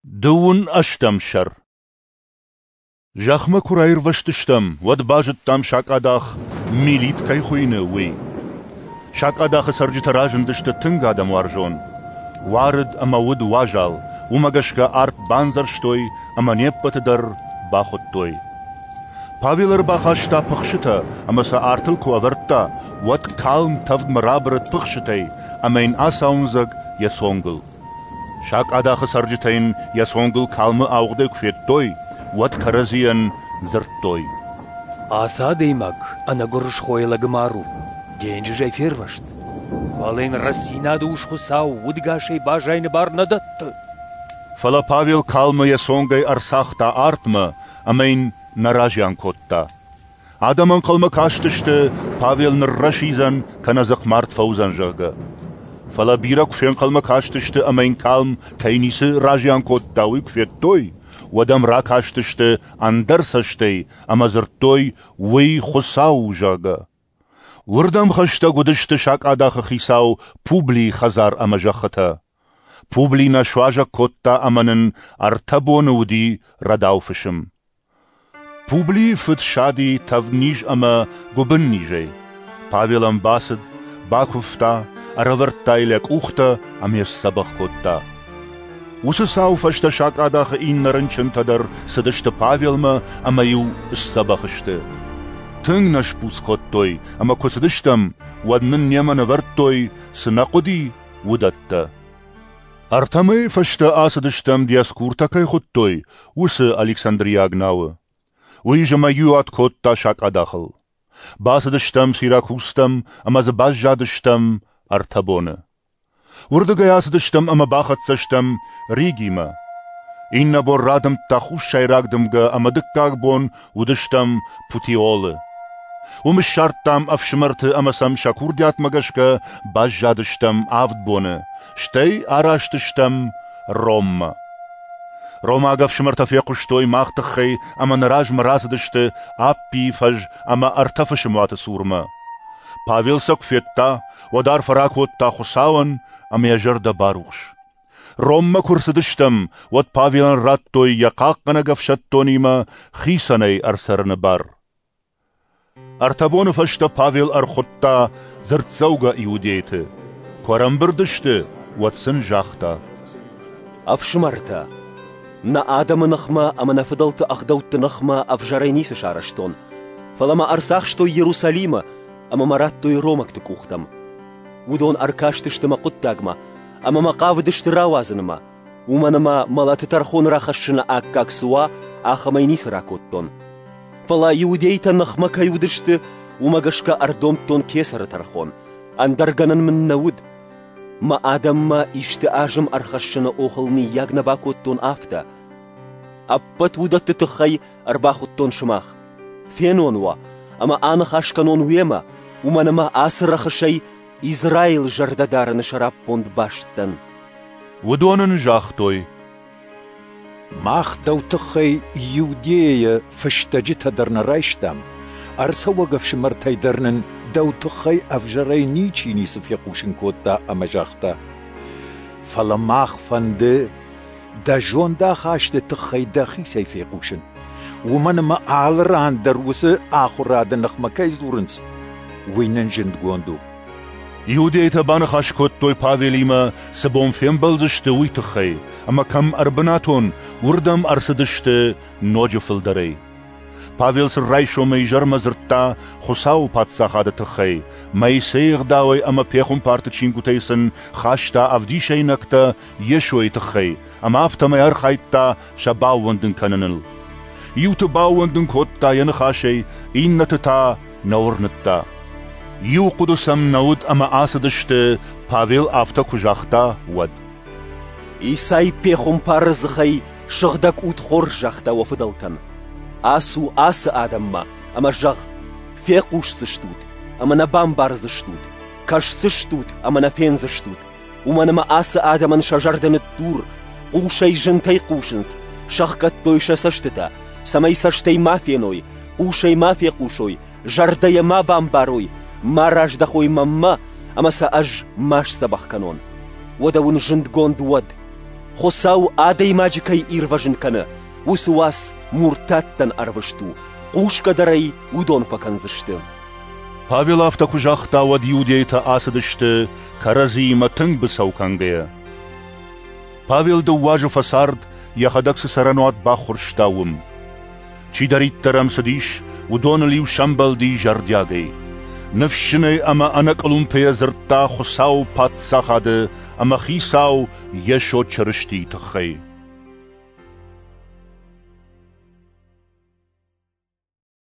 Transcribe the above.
Дыууын ӕстӕм сӕр. Зӕхмӕ куы раирвӕзтыстӕм, уӕд базыдтам сакъадах Милит кӕй хуыйны, уый. Сакъадахы цӕрджытӕ разындысты тынг адӕмуарзон. Уарыд ӕмӕ уыд уазал, уымӕ гӕсгӕ арт бандзӕрстой ӕмӕ не ппӕты дӕр бахуыдтой. Павел ӕрбахаста пыхсытӕ ӕмӕ сӕ артыл куы ӕвӕрдта, уӕд калм тӕвдмӕ рабырыд пыхсытӕй ӕмӕ йын ацауындзӕг йӕ цонгыл. Сакъадахы цӕрджытӕ йын йӕ цонгыл калмы ауыгъдӕй куы федтой, уӕд кӕрӕдзийӕн дзырдтой: Ацы адӕймаг ӕнӕгуырысхойы лӕгмар у, денджызӕй фервӕзт. Фӕлӕ йын рӕстдзинады ус Хуыцау удӕгасӕй баззайыны бар нӕ дӕтты. Фӕлӕ Павел калмы йӕ цонгӕй ӕрцагъта артмӕ ӕмӕ йын нӕ разиан кодта. Адӕм ӕнхъӕлмӕ кастысты, Павел ныррӕсидзӕн кӕнӕ дзыхъмард фӕуыдзӕн, зӕгъгӕ. Фӕлӕ бирӕ куы фенхъӕлмӕ кастысты ӕмӕ йын калм кӕй ницы разиан кодта, уый куы федтой, уӕд ӕм ракастысты ӕндӕр цӕстӕй ӕмӕ дзырдтой, уый Хуыцау у, зӕгъгӕ. Уырдӕм хӕстӕг уыдысты сакъадахы хицау Публийы хӕдзар ӕмӕ зӕххытӕ. Публи нӕ суазӕг кодта ӕмӕ нын ӕртӕ боны уыди рӕдау фысым. Публийы фыд сади тӕвдниз ӕмӕ гуыбыннизӕй. Павел ӕм бацыд, бакуывта, ӕрӕвӕрдта йыл йӕ къухтӕ ӕмӕ йӕ сдзӕбӕх кодта. Уыцы цауы фӕстӕ сакъадахы иннӕ рынчынтӕ дӕр цыдысты Павелмӕ ӕмӕ-иу сдзӕбӕх сты. Тынг нӕ сбуц кодтой, ӕмӕ куы цыдыстӕм, уӕд нын немӕ нывӕрдтой, цы нӕ хъуыди, уыдӕттӕ. Ӕртӕ мӕйы фӕстӕ ацыдыстӕм, Диоскуртӕ кӕй хуыдтой, уыцы Александриаг науы. Уый зымӕгиуат кодта сакъадахыл. Бацыдыстӕм Сиракузтӕм ӕмӕ дзы баззадыстӕм ӕртӕ боны. Уырдыгӕй ацыдыстӕм ӕмӕ бахӕццӕ стӕм Ригимӕ. Иннӕ бон радымдта хуссайраг дымгӕ ӕмӕ дыккаг бон уыдыстӕм Путеолы. Уым ссардтам ӕфсымӕрты ӕмӕ сӕм сӕ курдиатмӕ гӕсгӕ баззадыстӕм авд боны, стӕй араст стӕм Роммӕ. Ромаг ӕфсымӕртӕ фехъуыстой мах тыххӕй ӕмӕ нӕ размӕ рацыдысты Аппийы фӕз ӕмӕ ӕртӕ фысымуаты цурмӕ. Павел сӕ куы федта, уӕд арфӕ ракодта Хуыцауӕн ӕмӕ йӕ зӕрдӕ барухс. Роммӕ куы рцыдыстӕм, уӕд Павелӕн радтой йӕ хъахъхъӕнӕг ӕфсӕддонимӕ хицӕнӕй ӕрцӕрыны бар. Ӕртӕ боны фӕстӕ Павел ӕрхуыдта дзырддзӕугӕ иудейты. Куы ӕрӕмбырд сты, уӕд сын загъта: Ӕфсымӕртӕ, нӕ адӕмы ныхмӕ ӕмӕ нӕ фыдӕлты ӕгъдӕутты ныхмӕ ӕвзӕрӕй ницы сарӕзтон, фӕлӕ мӕ ӕрцахстой Иерусалимы ӕмӕ мӕ радтой ромӕгты къухтӕм. Уыдон ӕркастысты мӕ хъуыддагмӕ ӕмӕ мӕ хъавыдысты рауадзынмӕ, уымӕн ӕмӕ мӕлӕты тӕрхон рахӕссыны аккаг цы уа, ахӕмӕй ницы ракодтон. Фӕлӕ иудейтӕ ныхмӕ кӕй уыдысты, уымӕ гӕсгӕ ӕрдомдтон кесӕры тӕрхон, ӕндӕр гӕнӕн мын нӕ уыд. Мӕ адӕммӕ исты азым ӕрхӕссыны охыл мыййаг нӕ бакодтон афтӕ. Ӕппӕт уыдӕтты тыххӕй ӕрбахуыдтон сымах. Фенон уӕ ӕмӕ аныхас кӕнон уемӕ, уымӕн ӕмӕ ацы рӕхысӕй Израилы зӕрдӕ дарыны сӕраппонд баст дӕн. Уыдон ын загътой: Мах дӕу тыххӕй Иудейӕйӕ фыстӕджытӕ дӕр нӕ райстам, ӕрцӕуӕг ӕфсымӕртӕй дӕр нын дӕу тыххӕй ӕвзӕрӕй ничи ницы фехъусын кодта ӕмӕ загъта: Фӕлӕ мах фӕнды дӕ зондахасты тыххӕй дӕхицӕй фехъусын, уымӕн ӕмӕ алы ран дӕр уыцы ахуырады ныхмӕ кӕй дзурынц, уый нын зындгонд у. Иудейтӕ баныхас кодтой Павелимӕ, цы бон фембӕлдзысты, уый тыххӕй, ӕмӕ кӕм ӕрбынатон, уырдӕм ӕрцыдысты ноджы фылдӕрӕй. Павел сын райсомӕй изӕрмӕ дзырдта Хуыцауы Паддзахады тыххӕй, Моисейы ӕгъдауӕй ӕмӕ пехуымпарты чингуытӕй сын хаста ӕвдисӕйнӕгтӕ Йесойы тыххӕй, ӕмӕ афтӕмӕй архайдта сӕ баууӕндын кӕныныл. Иуты баууӕндын кодта йӕ ныхасӕй, иннӕты та нӕ уырныдта. Иу хъуыды сӕм нӕ уыд ӕмӕ ацыдысты, Павел афтӕ куы загъта, уӕд. Исай пехуымпары дзыхӕй Сыгъдӕг Уд хорз загъта уӕ фыдӕлтӕн: Ацу ацы адӕммӕ ӕмӕ зӕгъ: Фехъусдзыстут ӕмӕ нӕ бамбардзыстут, кӕсдзыстут ӕмӕ нӕ фендзыстут, уымӕн ӕмӕ ацы адӕмӕн сӕ зӕрдӕ ныддур, хъусӕй зынтӕй хъусынц, сӕхгӕдтой сӕ цӕстытӕ, цӕмӕй цӕстӕй ма феной, хъусӕй ма фехъусой, зӕрдӕйӕ ма бамбарой, ма раздӕхой мӕнмӕ, ӕмӕ сӕ ӕз ма сдзӕбӕх кӕнон. Уӕдӕ уын зындгонд уӕд: Хуыцау адӕймаджы кӕй ирвӕзын кӕны, уыцы уац муртаттӕн ӕрвыст у, хъусгӕ дӕр ӕй уыдон фӕкӕндзысты. Павел афтӕ куы загъта, уӕд иудейтӕ ацыдысты, кӕрӕдзиимӕ тынг быцӕу кӕнгӕйӕ. Павел дыууӕ азы фӕцард, йӕхӕдӕг цы цӕрӕнуат баххуырста, уым. Чидӕриддӕр ӕм цыдис, уыдоныл-иу сӕмбӕлди зӕрдиагӕй. Ныфсджынӕй ӕмӕ ӕнӕкъуылымпыйӕ дзырдта Хуыцауы Паддзахады ӕмӕ Хицау Йесо Чырыстийы тыххӕй.